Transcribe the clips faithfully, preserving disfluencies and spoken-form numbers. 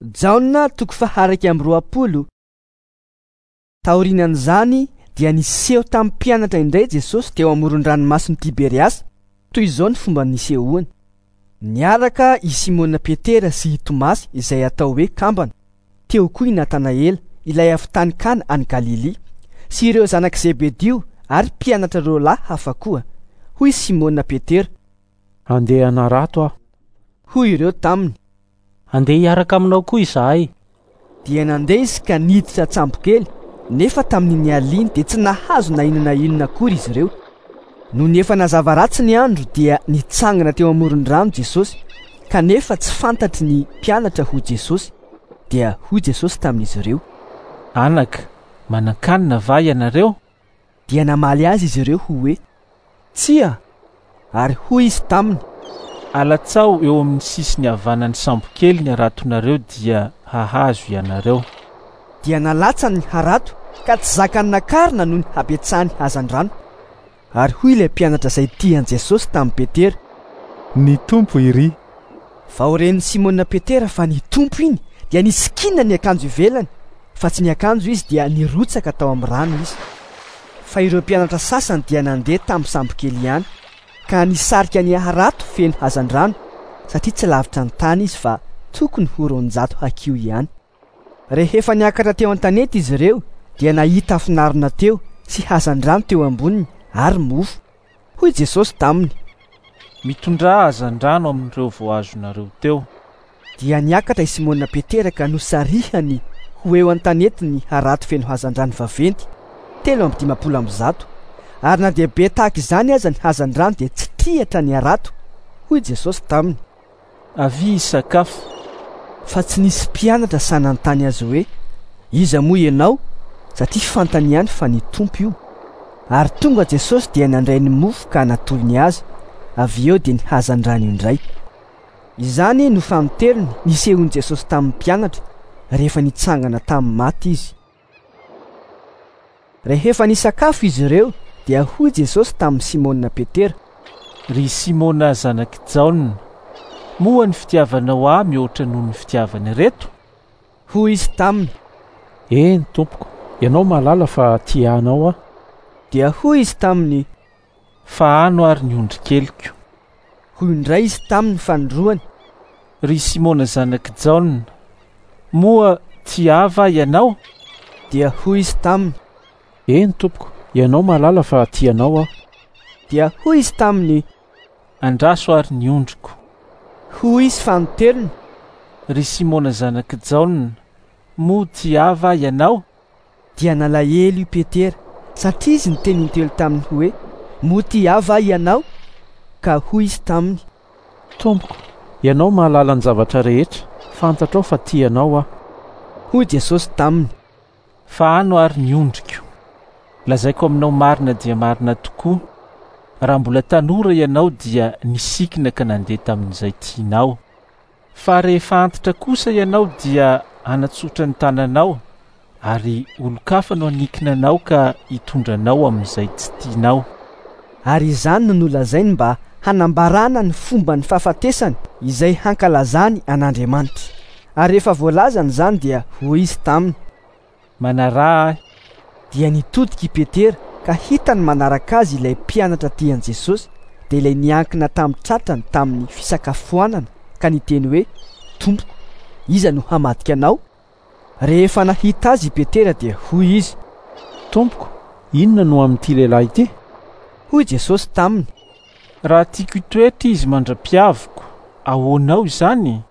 Jaona toko faha-iraika amby roapolo. Taorian'izany dia niseho tamin'ny mpianatra indray Jesosy teo amoron-dranomasin'i Tiberiasy. Toy izao ny fomba nisehoany. Niaraka i Simona Petera sy i Tomasy izay atao hoe Kambana. Teo koa i Natanaela, ilay avy tany Kana any Galilia, sy ireo zanak'i Zebedio ary mpianatra roa lahy hafa koa. Hoy Simona Petera: "Andeha hanarato aho." Hoy ireo taminy: "Andeha hiaraka aminao koa izahay." Dia nandeha izy ka niditra an-tsambokely, nefa tamin'iny alina dia tsy nahazo na inona na inona akory izy ireo. Nony efa nazava ratsy ny andro dia nitsangana teo amoron-drano Jesosy, kanefa tsy fantatry ny mpianatra ho Jesosy. Dia hoy Jesosy tamin'izy ireo: "Anaka, manan-kanina va ianareo?" Dia namaly azy izy ireo hoe: "Tsia." Ary hoy izy taminy: "Alatsao eo amin'ny sisiny havanan'ny sambokely ny haratonareo dia hahazo ianareo." Dia nalatsany ny harato ka tsy zakany nakarina noho ny habetsahany hazandrano. Ary hoy ilay mpianatra izay tia an'i Jesosy tamin'i Petera: "Ny Tompo iry." Vao ren'i Simona Petera fa ny Tompo iny, dia nisikina ny akanjo ivelany, fa tsy niakanjo izy, dia nirotsaka tao amin'ny rano izy. Fa ireo mpianatra sasany dia nandeha tamin'ny sambokely ihany, ka nisarika ny harato feno hazandrano, satria tsy lavitra ny tany izy fa tokony ho roanjato hakiho ihany. Rehefa niakatra teo an-tanety izy ireo, dia nahita afonarina teo sy hazandrano teo amboniny ary mofo. Hoy Jesosy taminy: "Mitondrà hazandrano amin'ireo voahazonareo teo." Dia niakatra i Simona Petera ka nosarihany ho eo an-tanety ny harato feno hazandrano vaventy telo amby dimampolo amby zato. Ary na dia be tahaka izany aza ny hazandrano dia tsy triatra ny harato. Hoy Jesosy taminy: "Avia hisakafo." Fa tsy nisy mpianatra sahy nanontany azy hoe: "Iza moa ianao?" Satria fantany ihany fa ny Tompo io. Ary tonga Jesosy dia nandray ny mofo ka natolony azy, avy eo dia ny hazandrano indray. Izany no fanintelony nisehoan'i Jesosy tamin'ny mpianatra rehefa nitsangana tamin'ny maty izy. Rehefa nisakafo izy ireo dia hoy Jesosy tamin'i Simona Petera: "Ry Simona zanak'i Jaona, moa ny fitiavanao ahy mihoatra noho ny fitiavan'ireto?" Hoy izy taminy: "Eny tompoko, ianao mahalala fa tia anao aho." Dia hoy izy taminy: "Fahano ary ny ondrikeliko." Hoy indray izy taminy fanindroany: "Ry Simona zanak'i Jaona, moa tia ahy va ianao?" Dia hoy izy taminy: "Eny tompoko, ianao mahalala fa tia anao aho." Dia hoy izy taminy: "Andraso ary ny ondriko." Hoy izy fanintelony: "Ry Simona zanak'i Jaona, moa tia ahy va ianao?" Dia nalahelo i Petera, satria izy niteny intelo taminy hoe: "Moa tia ahy va ianao?" Ka hoy izy taminy: "Tompoko, ianao mahalala ny zavatra rehetra, fantatrao fa tia anao aho." Hoy Jesosy taminy: "Fahano ary ny ondriko. Lazaiko aminao marina dia marina tokoa, raha mbola tanora ianao dia nisikina ka nandeha tamin'izay tianao. Fa rehefa antitra kosa ianao dia hanatsotra ny tananao, ary olon-kafa no hanikina anao ka hitondra anao amin'izay tsy tianao." Ary izany no nolazainy mba hanambarana ny fomba ny fahafatesany izay hankalazany an'Andriamanitra. Ary rehefa voalazany izany dia hoy izy taminy: "Manaraha ahy." Dia nitodika i Petera ka hitany manaraka azy ilay mpianatra tian'i Jesosy, dia ilay niankina tamin'ny tratrany tamin'ny fisakafoanana ka niteny hoe: "Tompoko, iza no hamadika anao?" Rehefa nahita azy i Petera dia hoy izy: "Tompoko, inona no amin'ity lehilahy ity?" Hoy Jesosy taminy: "Raha tiako hitoetra izy mandra-piaviko, ahoanao izany?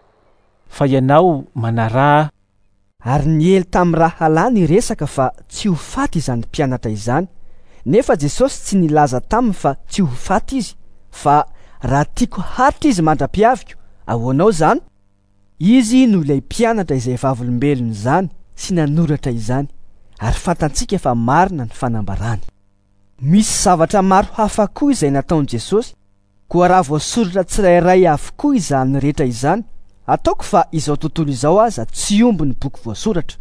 Fa ianao manaraha ahy." Ary niely tamin'ny rahalahy ny resaka fa tsy ho faty izany mpianatra izany, nefa Jesosy tsy nilaza taminy fa tsy ho faty izy, fa raha tiako haritra izy mandra-piaviko, ahoanao izany? Izy no ilay mpianatra izay vavolombelona izany sy nanoratra izany, ary fantatsika fa marina ny fanambarany. Misy zavatra maro hafa koa izay nataon'i Jesosy, koa raha voasoratra tsirairay avokoa izany rehetra izany, ataoko fa izao tontolo izao aza tsy omby ny boky voasoratra.